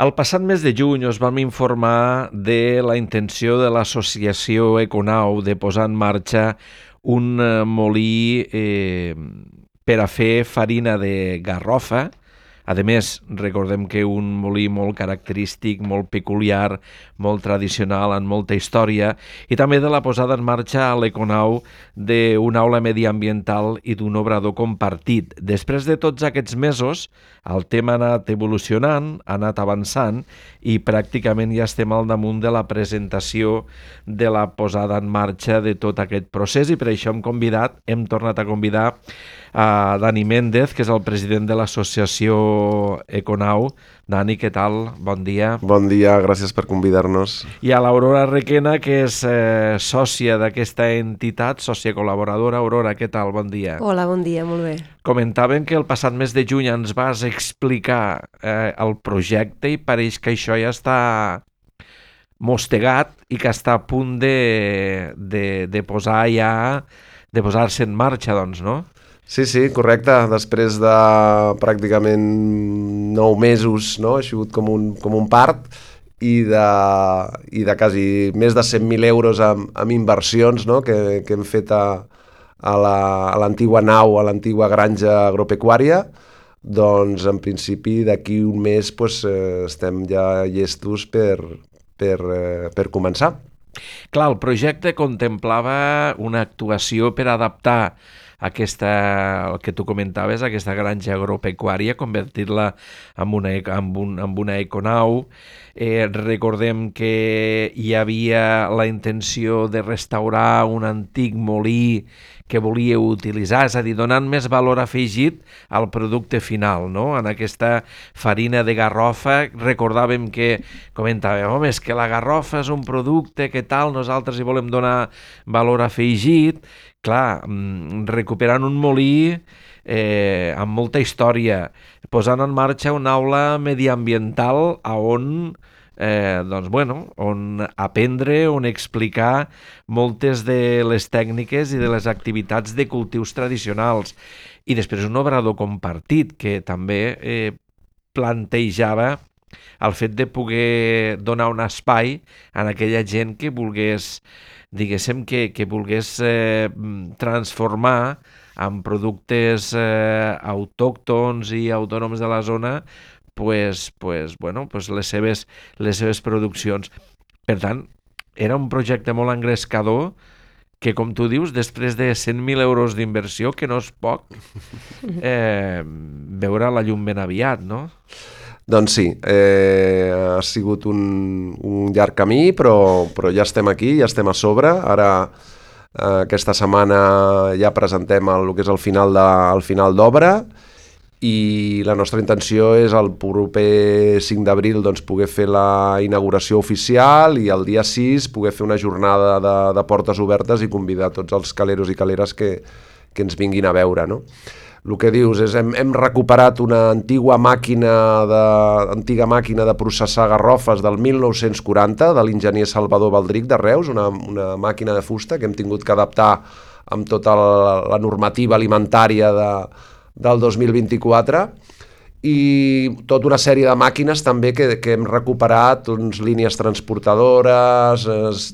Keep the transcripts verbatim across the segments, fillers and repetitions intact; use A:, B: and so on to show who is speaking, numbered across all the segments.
A: El passat mes de juny us vam informar de la intenció de l'associació Econau de posar en marxa un eh, molí eh, per a fer farina de garrofa. A més, recordem que un molí molt característic, molt peculiar, molt tradicional, amb molta història, i també de la posada en marxa a l'Econau d'una aula mediambiental i d'un obrador compartit. Després de tots aquests mesos, el tema ha anat evolucionant, ha anat avançant i pràcticament ja estem al damunt de la presentació de la posada en marxa de tot aquest procés, i per això hem convidat, hem tornat a convidar a Dani Méndez, que és el president de l'associació Econau. Dani, què tal? Bon dia.
B: Bon dia, gràcies per convidar-nos.
A: I a l'Aurora Requena, que és eh, sòcia d'aquesta entitat, sòcia col·laboradora. Aurora, què tal? Bon dia.
C: Hola, bon dia, molt bé.
A: Comentàvem que el passat mes de juny ens vas explicar eh, el projecte i pareix que això ja està mostegat i que està a punt de, de, de posar ja, de posar-se en marxa, doncs, no?
B: Sí, sí, correcte. Després de pràcticament nou mesos, no? Ha sigut com un, com un part i de, i de quasi més de cent mil euros amb, amb inversions, no? que, que hem fet a, a l'antigua nau, a l'antigua granja agropecuària. Doncs en principi d'aquí un mes pues, eh, estem ja llestos per, per, eh, per començar.
A: Clar, el projecte contemplava una actuació per adaptar aquesta, el que tu comentaves, aquesta granja agropecuària, convertir-la en una, en un, en una econau. Eh, recordem que hi havia la intenció de restaurar un antic molí que volia utilitzar, és a dir, donant més valor afegit al producte final, no? En aquesta farina de garrofa recordàvem que, comentàvem, home, és que la garrofa és un producte que tal, nosaltres hi volem donar valor afegit. Clar, recuperant un molí eh, amb molta història, posant en marxa una aula mediambiental a on Eh, doncs, bueno, on aprendre, on explicar moltes de les tècniques i de les activitats de cultius tradicionals. I després un obrador compartit que també eh, plantejava el fet de poder donar un espai a aquella gent que volgués, diguéssim, que, que volgués eh, transformar en productes eh, autòctons i autònoms de la zona Pues, pues, bueno, pues les, seves, les seves produccions. Per tant, era un projecte molt engrescador que, com tu dius, després de cent mil euros d'inversió, que no és poc, eh, veure la llum ben aviat, no?
B: Doncs sí, eh, ha sigut un, un llarg camí, però, però ja estem aquí, ja estem a sobre. Ara, eh, aquesta setmana ja presentem el, el que és el final de, el final d'obra, i la nostra intenció és el proper cinc d'abril doncs, poder fer la inauguració oficial i el dia sis poder fer una jornada de, de portes obertes i convidar tots els caleros i caleres que, que ens vinguin a veure, no? El que dius és hem, hem recuperat una antiga màquina, de, antiga màquina de processar garrofes del mil nou-cents quaranta de l'enginyer Salvador Baldric de Reus, una, una màquina de fusta que hem tingut que adaptar amb tota la, la normativa alimentària de del dos mil vint-i-quatre, i tota una sèrie de màquines també que, que hem recuperat, doncs, línies transportadores,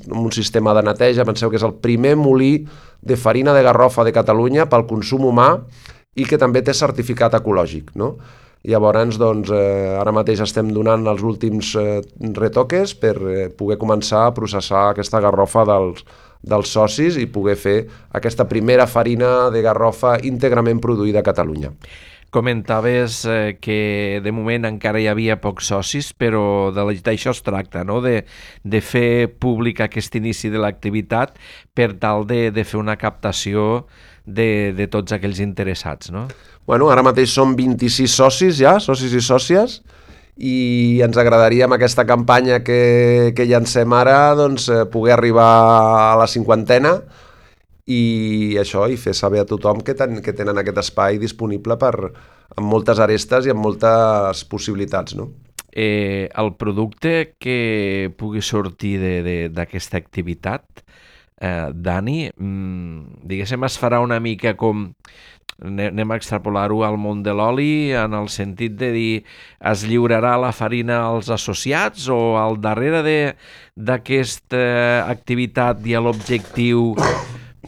B: un sistema de neteja. Penseu que és el primer molí de farina de garrofa de Catalunya pel consum humà i que també té certificat ecològic, no? Llavors, doncs, eh, ara mateix estem donant els últims eh, retoques per eh, poder començar a processar aquesta garrofa dels dels socis i poder fer aquesta primera farina de garrofa íntegrament produïda a Catalunya.
A: Comentaves eh, que de moment encara hi havia pocs socis, però d'això es tracta, no? de, de fer públic aquest inici de l'activitat per tal de, de fer una captació de, de tots aquells interessats, no?
B: Bueno, ara mateix som vint-i-sis socis ja, socis i sòcies, i ens agradaria amb aquesta campanya que, que llancem ara doncs, poder arribar a la cinquantena i això, i fer saber a tothom que, ten, que tenen aquest espai disponible per, amb moltes arestes i amb moltes possibilitats, no?
A: Eh, el producte que pugui sortir d'aquesta activitat, eh, Dani, mmm, diguéssim, es farà una mica com anem a extrapolar-ho al món de l'oli en el sentit de dir es lliurarà la farina als associats o al darrere d'aquesta activitat hi ha l'objectiu,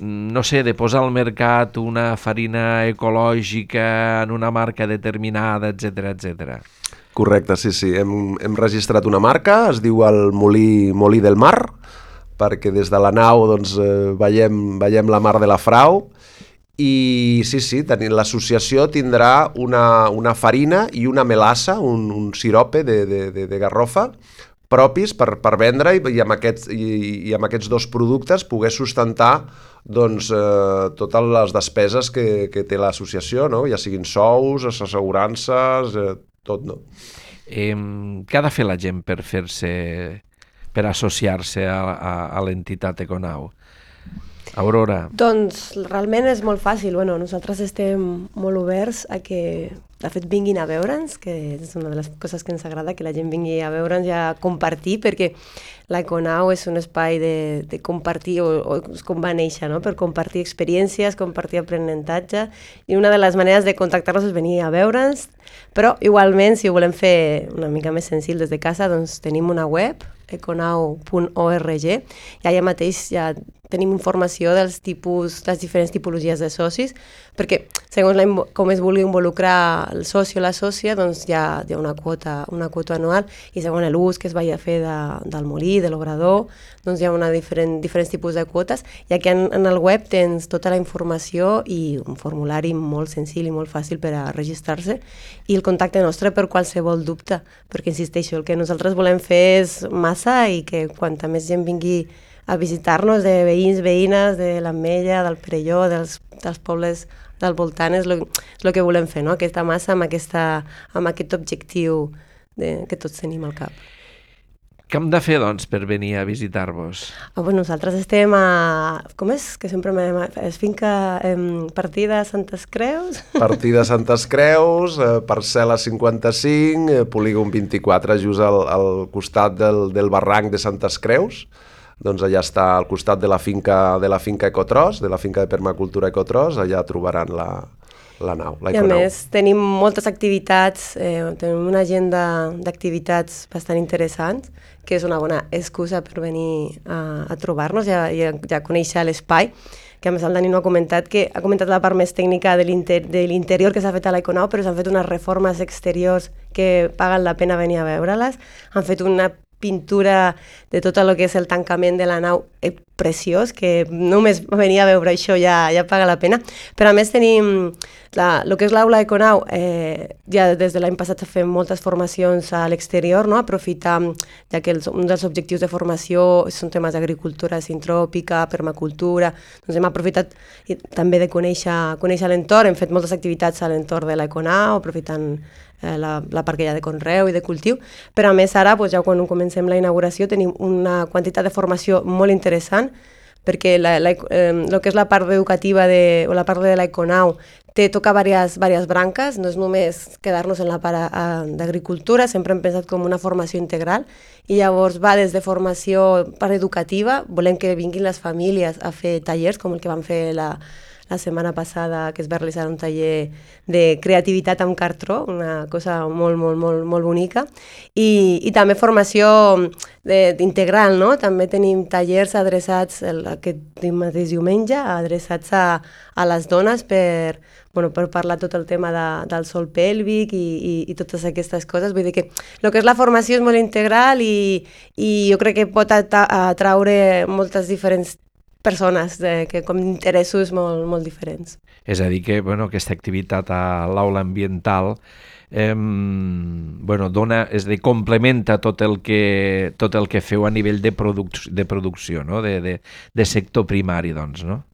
A: no sé, de posar al mercat una farina ecològica en una marca determinada, etcètera, etcètera.
B: Correcte, sí, sí. Hem, hem registrat una marca, es diu el Molí, Molí del Mar, perquè des de la nau doncs, eh, veiem, veiem la mar de la Frau. I sí, sí, l'associació tindrà una, una farina i una melassa, un, un sirope de, de, de, de garrofa propis per, per vendre i, i, amb aquests, i, i amb aquests dos productes poder sustentar doncs, eh, totes les despeses que, que té l'associació, no? Ja siguin sous, assegurances, eh, tot, no?
A: Eh, què ha de fer la gent per fer-se, per associar-se a, a, a l'entitat Econau? Aurora.
C: Doncs realment és molt fàcil. Bueno, nosaltres estem molt oberts a que, de fet, vinguin a veure'ns, que és una de les coses que ens agrada, que la gent vingui a veure'ns i a compartir, perquè l'Econau és un espai de, de compartir, o, o és com va néixer, no? Per compartir experiències, compartir aprenentatge, i una de les maneres de contactar-nos és venir a veure'ns, però igualment, si ho volem fer una mica més senzill des de casa, doncs tenim una web, econau punt org, i allà mateix ja tenim informació dels tipus, les diferents tipologies de socis, perquè segons la, com es vulgui involucrar el soci o la sòcia, doncs hi ha, hi ha una, quota, una quota anual, i segons l'ús que es vagi a fer de, del molí, de l'obrador, doncs hi ha una diferent, diferents tipus de quotes, i aquí en, en el web tens tota la informació i un formulari molt senzill i molt fàcil per a registrar-se, i el contacte nostre per qualsevol dubte, perquè insisteixo, el que nosaltres volem fer és massa i que quanta més gent vingui a visitar-nos, de veïns, veïnes, de l'Ametlla, del Perelló, dels, dels pobles del voltant, és el que volem fer, no? Aquesta massa amb, aquesta, amb aquest objectiu de, que tots tenim al cap.
A: Què hem de fer, doncs, per venir a visitar-vos?
C: Oh, bueno, nosaltres estem a... Com és? Que sempre m'he... És finca... Eh, partida Santes Creus?
B: Partida Santes Creus, eh, parcel·la cinquanta-cinc, eh, polígon vint-i-quatre, just al, al costat del, del barranc de Santes Creus. Doncs allà està al costat de la finca de la finca Ecotros, de la finca de permacultura Ecotros, allà trobaran la, la nau, la
C: I a més tenim moltes activitats, eh, tenim una agenda d'activitats bastant interessants, que és una bona excusa per venir a, a trobar-nos i a, i a, i a conèixer l'espai, que a més el Dani no ha comentat, que ha comentat la part més tècnica de l'interior que s'ha fet a l'Econau, però s'han fet unes reformes exteriors que paguen la pena venir a veure-les, han fet una pintura de tot el que és el tancament de la nau eh, preciós, que només venir a veure això ja, ja paga la pena. Però a més tenim la, el que és l'aula Econau, eh, ja des de l'any passat fem moltes formacions a l'exterior, no? Aprofitar, ja que els, un dels objectius de formació són temes d'agricultura sintròpica, permacultura, doncs hem aprofitat i, també de conèixer, conèixer l'entorn, hem fet moltes activitats a l'entorn de l'Econau, aprofitant La, la part que hi ha de conreu i de cultiu, però a més ara, doncs, ja quan comencem la inauguració, tenim una quantitat de formació molt interessant, perquè la, la, eh, el que és la part educativa de, o la part de l'Econau té, toca diverses, diverses branques, no és només quedar-nos en la part d'agricultura, sempre hem pensat com una formació integral, i llavors va des de formació part educativa, volem que vinguin les famílies a fer tallers, com el que van fer la la setmana passada, que es va realitzar un taller de creativitat amb cartró, una cosa molt, molt, molt, molt bonica, i, i també formació de, integral, no? També tenim tallers adreçats el, aquest mateix diumenge, adreçats a, a les dones per, bueno, per parlar tot el tema de, del sòl pèlvic i, i, i totes aquestes coses. Vull dir que el que és la formació és molt integral i, i jo crec que pot atraure moltes diferents persones de, que com interessos molt, molt diferents.
A: És a dir que, bueno, aquesta activitat a l'aula ambiental eh, bueno, dona, és a dir, complementa tot el que, tot el que feu a nivell de, produc de producció, no? de, de, de sector primari, doncs, no?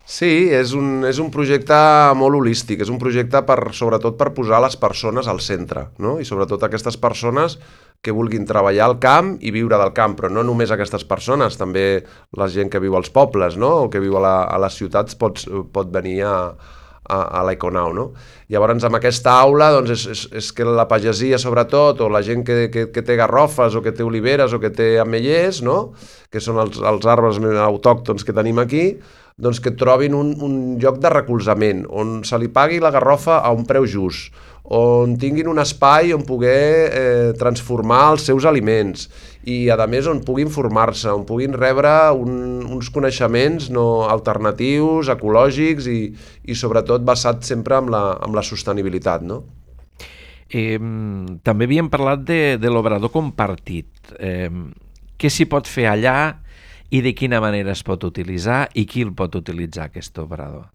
B: Sí, és un, és un projecte molt holístic, és un projecte per, sobretot per posar les persones al centre, no? I sobretot aquestes persones que vulguin treballar al camp i viure del camp, però no només aquestes persones, també la gent que viu als pobles, no? O que viu a, la, a les ciutats pot, pot venir a, a, a l'Econau, no? Llavors, amb aquesta aula, doncs, és, és, és que la pagesia, sobretot, o la gent que, que, que té garrofes, o que té oliveres, o que té ametllers, no?, que són els, els arbres autòctons que tenim aquí, doncs que trobin un, un lloc de recolzament, on se li pagui la garrofa a un preu just, on tinguin un espai on poder eh, transformar els seus aliments i, a més, on puguin formar-se, on puguin rebre un, uns coneixements no, alternatius, ecològics i, i sobretot basats sempre en la, en la sostenibilitat, no?
A: Eh, també havíem parlat de, de l'obrador compartit. Eh, què s'hi pot fer allà i de quina manera es pot utilitzar i qui el pot utilitzar, aquest obrador?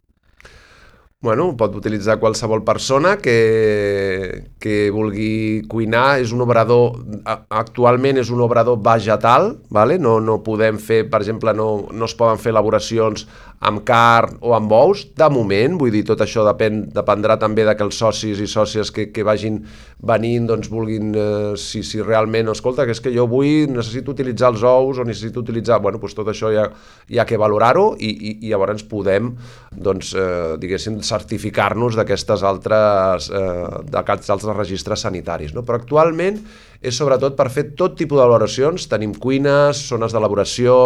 B: Bueno, pot utilitzar qualsevol persona que, que vulgui cuinar. És un obrador, actualment és un obrador vegetal, vale? no, no podem fer, per exemple, no, no es poden fer elaboracions amb carn o amb ous, de moment, vull dir, tot això depèn, dependrà també de que els socis i sòcies que, que vagin venint, doncs vulguin, eh, si, si realment, escolta, que és que jo vull, necessito utilitzar els ous o necessito utilitzar, bueno, doncs tot això hi ha, hi ha que valorar-ho i, i, i llavors podem, doncs, eh, diguéssim, certificar-nos d'aquestes altres, eh, d'aquests altres registres sanitaris, no? Però actualment és sobretot per fer tot tipus d'elaboracions, tenim cuines, zones d'elaboració,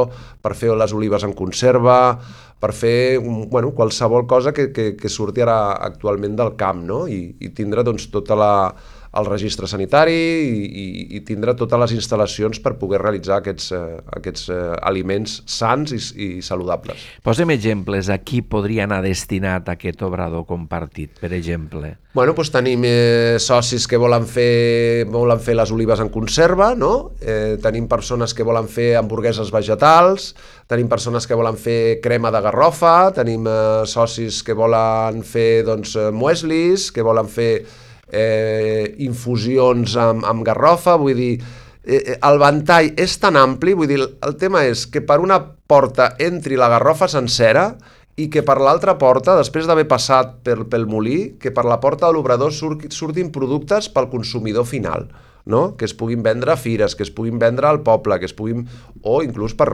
B: per fer les olives en conserva, per fer, bueno, qualsevol cosa que, que, que surti ara actualment del camp, no? I, i tindre, doncs, tota la, el registre sanitari i, i, i tindre totes les instal·lacions per poder realitzar aquests, eh, aquests eh, aliments sans i, i saludables.
A: Posem exemples. A qui podria anar destinat aquest obrador compartit, per exemple?
B: Bueno, doncs tenim eh, socis que volen fer, volen fer les olives en conserva, no? Eh, tenim persones que volen fer hamburgueses vegetals, tenim persones que volen fer crema de garrofa, tenim eh, socis que volen fer, doncs, mueslis, que volen fer eh, infusions amb, amb garrofa, vull dir, eh, el ventall és tan ampli, vull dir, el tema és que per una porta entri la garrofa sencera i que per l'altra porta, després d'haver passat per, pel molí, que per la porta de l'obrador surt, surtin productes pel consumidor final, no? Que es puguin vendre a fires, que es puguin vendre al poble, que es puguin, o inclús per,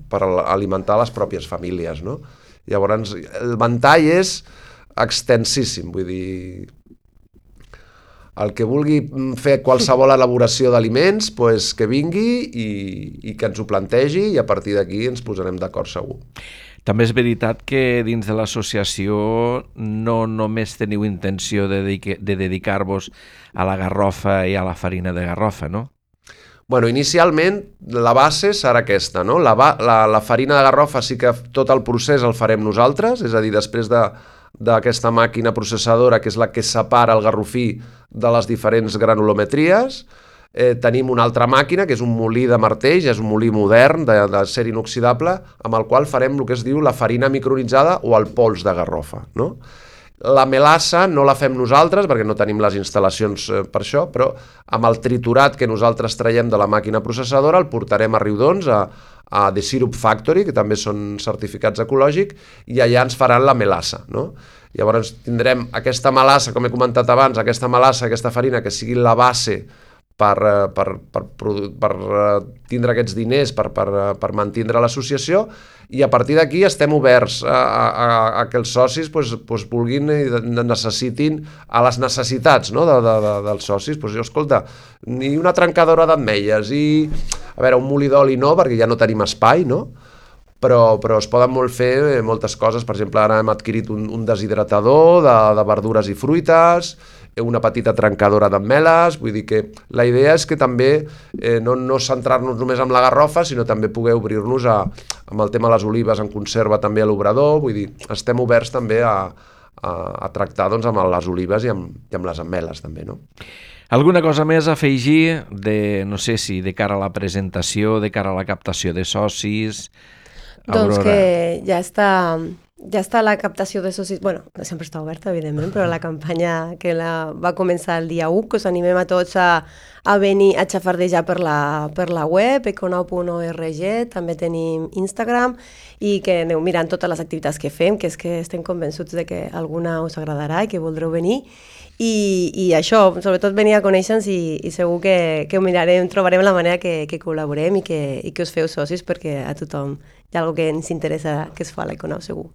B: per alimentar les pròpies famílies, no? Llavors, el ventall és extensíssim, vull dir, el que vulgui fer qualsevol elaboració d'aliments, pues, que vingui i, i que ens ho plantegi i a partir d'aquí ens posarem d'acord segur.
A: També és veritat que dins de l'associació no només teniu intenció de, dedique, de dedicar-vos a la garrofa i a la farina de garrofa, no?
B: Bueno, inicialment la base serà aquesta, no? La, la, la farina de garrofa sí que tot el procés el farem nosaltres, és a dir, després de d'aquesta màquina processadora, que és la que separa el garrofí de les diferents granulometries. Eh, tenim una altra màquina, que és un molí de martells, és un molí modern d'acer inoxidable, amb el qual farem el que es diu la farina micronitzada o el pols de garrofa, no? La melassa no la fem nosaltres, perquè no tenim les instal·lacions per això, però amb el triturat que nosaltres traiem de la màquina processadora el portarem a Riudons, a, a The Syrup Factory, que també són certificats ecològics, i allà ens faran la melassa, no? Llavors tindrem aquesta melassa, com he comentat abans, aquesta melassa, aquesta farina, que sigui la base per, per, per, per tindre aquests diners, per, per, per mantindre l'associació, i a partir d'aquí estem oberts a, a, a que els socis pues, pues, vulguin i necessitin a les necessitats, no? de, de, de, dels socis. Pues, jo, escolta, ni una trencadora d'ametlles i, a veure, un molí d'oli no, perquè ja no tenim espai, no? Però, però es poden molt fer moltes coses. Per exemple, ara hem adquirit un, un deshidratador de, de verdures i fruites, una petita trencadora d'ametlles, vull dir que la idea és que també eh, no, no centrar-nos només en la garrofa, sinó també poder obrir-nos a, amb el tema de les olives en conserva també a l'obrador, vull dir, estem oberts també a, a, a tractar doncs, amb les olives i amb, i amb les ametlles també, no?
A: Alguna cosa més a afegir de, no sé si de cara a la presentació, de cara a la captació de socis?
C: Doncs
A: Aurora.
C: Que ja està... Ja està la captació de socis, bueno, sempre està oberta, evidentment, però la campanya que la va començar el dia u, que us animem a tots a, a venir a xafardejar per la, per la web, econau punt org, també tenim Instagram, i que aneu mirant totes les activitats que fem, que és que estem convençuts de que alguna us agradarà i que voldreu venir, i, i això, sobretot venir a conèixer-nos i, i segur que, que ho mirarem, trobarem la manera que, que col·laborem i que, i que us feu socis, perquè a tothom hi ha alguna que ens interessa que es fa a l'Econau, segur.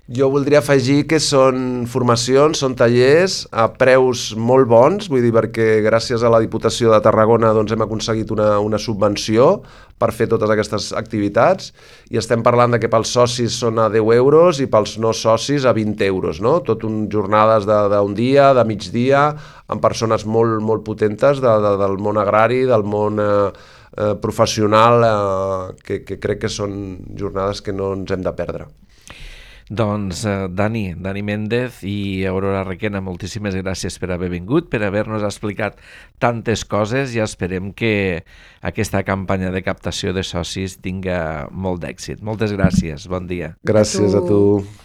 B: Jo voldria afegir que són formacions, són tallers a preus molt bons, vull dir, perquè gràcies a la Diputació de Tarragona doncs, hem aconseguit una, una subvenció per fer totes aquestes activitats i estem parlant de que pels socis són a deu euros i pels no socis a vint euros, no? Tot un jornades d'un dia, de migdia, amb persones molt, molt potentes de, de, del món agrari, del món eh, eh, professional, eh, que, que crec que són jornades que no ens hem de perdre.
A: Doncs eh, Dani, Dani Méndez i Aurora Requena, moltíssimes gràcies per haver vingut, per haver-nos explicat tantes coses i esperem que aquesta campanya de captació de socis tinga molt d'èxit. Moltes gràcies, bon dia.
B: Gràcies a tu.